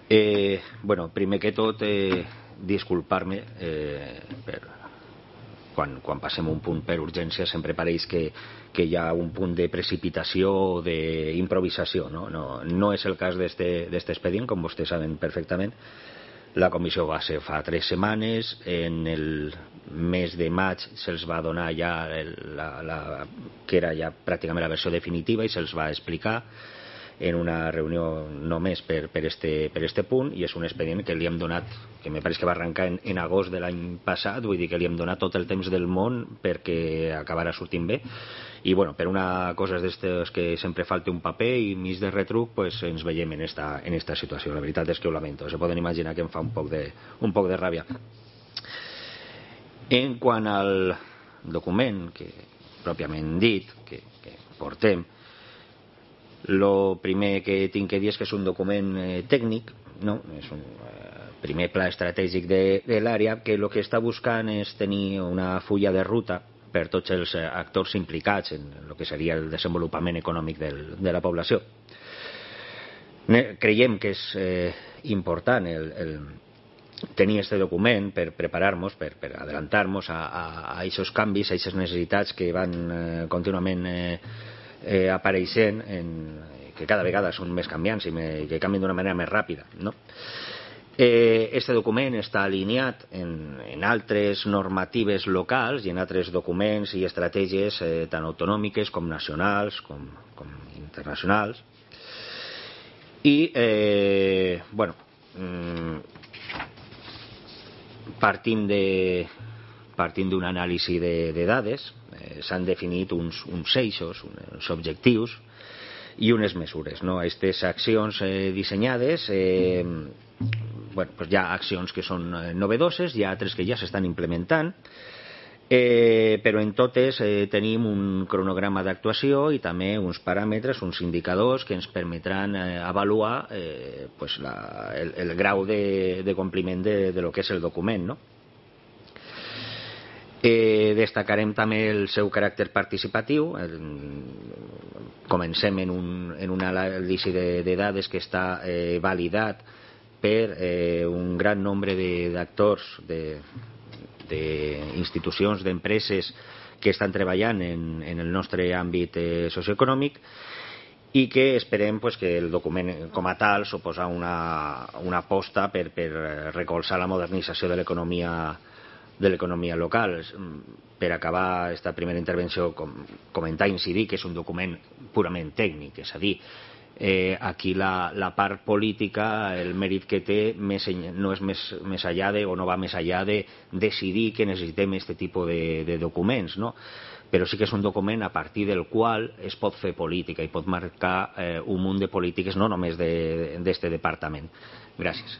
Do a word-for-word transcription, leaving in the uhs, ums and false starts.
Eh, bueno, primer que tot, eh, disculpar-me eh, per, quan, quan passem un punt per urgència sempre pareix que, que hi ha un punt de precipitació o d'improvisació, no? No, no és el cas d'aquest expedient, com vostès saben perfectament. La comissió va ser fa tres setmanes, en el mes de maig se'ls va donar ja el, la, la, que era ja pràcticament la versió definitiva i se'ls va explicar en una reunió només per, per, este, per este punt, i és un expedient que li hem donat, que me pareix que va arrencar en, en agost de l'any passat, vull dir que li hem donat tot el temps del món perquè acabarà sortint bé, i bueno, per una cosa d'estes que sempre falta un paper i mig de retruc, pues ens veiem en esta, en esta situació. La veritat és que ho lamento, se poden imaginar que em fa un poc de, un poc de ràbia. En quant al document que pròpiament dit que, que portem, lo primer que tinc que dir és que és un document eh, tècnic, no? És un eh, primer pla estratègic de, de l'àrea que el que està buscant és tenir una fulla de ruta per tots els actors implicats en el que seria el desenvolupament econòmic del, de la població. Creiem que és eh, important el, el tenir aquest document per preparar-nos, per, per adelantar-nos a, a, a aquests canvis, a aquestes necessitats que van eh, contínuament eh, Eh, apareixent en, que cada vegada són més canviants i me, que canvien d'una manera més ràpida, no? Eh, este document està alineat en, en altres normatives locals i en altres documents i estratègies eh, tant autonòmiques com nacionals com, com internacionals, i eh, bueno mm, partint de partint d'un anàlisi de, de dades, eh, s'han definit uns, uns eixos, uns objectius i unes mesures, no? Aquestes accions eh, dissenyades, eh, bueno, pues hi ha accions que són novedoses, hi ha altres que ja s'estan implementant, eh, però en totes eh, tenim un cronograma d'actuació i també uns paràmetres, uns indicadors que ens permetran eh, avaluar eh, pues la, el, el grau de, de compliment de, de lo que és el document, no? Eh, destacarem també el seu caràcter participatiu. El, comencem en un, en un anàlisi de, de dades que està eh, validat per eh, un gran nombre d'actors, d'institucions, de, d'empreses que estan treballant en, en el nostre àmbit eh, socioeconòmic, i que esperem pues, que el document com a tal suposa una, una aposta per, per recolzar la modernització de l'economia de l'economia local. Per acabar aquesta primera intervenció, com, comentar i incidir que és un document purament tècnic, és a dir, eh, aquí la, la part política, el mèrit que té més, no és més, més allà de, o no va més allà de decidir que necessitem aquest tipus de, de documents, no? Però sí que és un document a partir del qual es pot fer política i pot marcar eh, un munt de polítiques, no només d'aquest departament. Gràcies.